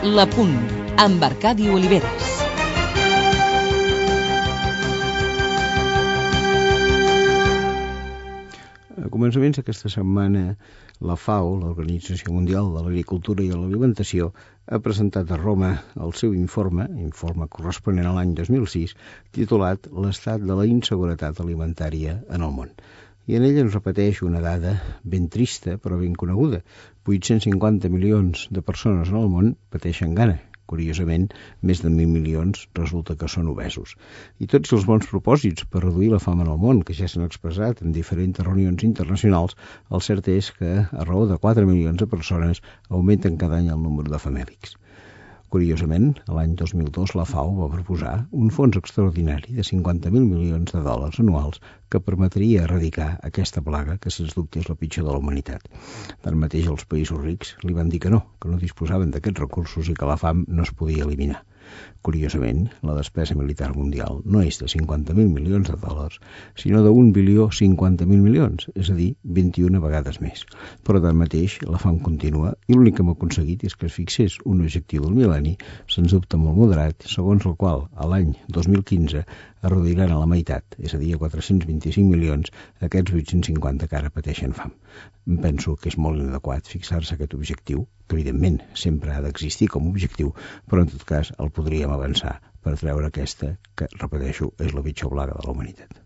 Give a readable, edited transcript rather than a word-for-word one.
La Punt, amb Arcadi Oliveres. A començaments d'aquesta setmana, la FAO, l'Organització Mundial de l'Agricultura i de l'Alimentació, ha presentat a Roma el seu informe corresponent a l'any 2006, titulat L'estat de la inseguretat alimentària en el món. I en ell ens repeteix una dada ben trista però ben coneguda. 850 milions de persones en el món pateixen gana. Curiosament, més de 1.000 milions resulta que són obesos. I tots els bons propòsits per reduir la fam en el món, que ja s'han expressat en diferents reunions internacionals, el cert és que, a raó de 4 milions de persones, augmenten cada any el número de famèlics. Curiosament, l'any 2002 la FAO va proposar un fons extraordinari de 50.000 milions de dòlars anuals que permetria erradicar aquesta plaga que, sens dubte, és la pitjor de la humanitat. Tanmateix, els països rics li van dir que no disposaven d'aquests recursos i que la fam no es podia eliminar. Curiosament, la despesa militar mundial no és de 50.000 milions de dòlars, sinó de 1.050.000 milions, és a dir, 21 vegades més. Però, tanmateix, la fam continua i l'únic que hem aconseguit és que es fixés un objectiu del mil·lenni, sens dubte molt moderat, segons el qual, a l'any 2015, es reduiran a la meitat, és a dir, a 425 milions, aquests 850 que ara pateixen fam. Em penso que és molt inadequat fixar-se aquest objectiu, que evidentment sempre ha d'existir com a objectiu, però en tot cas el podríem avançar per treure aquesta, que, repeteixo, és la pitjor plaga de la humanitat.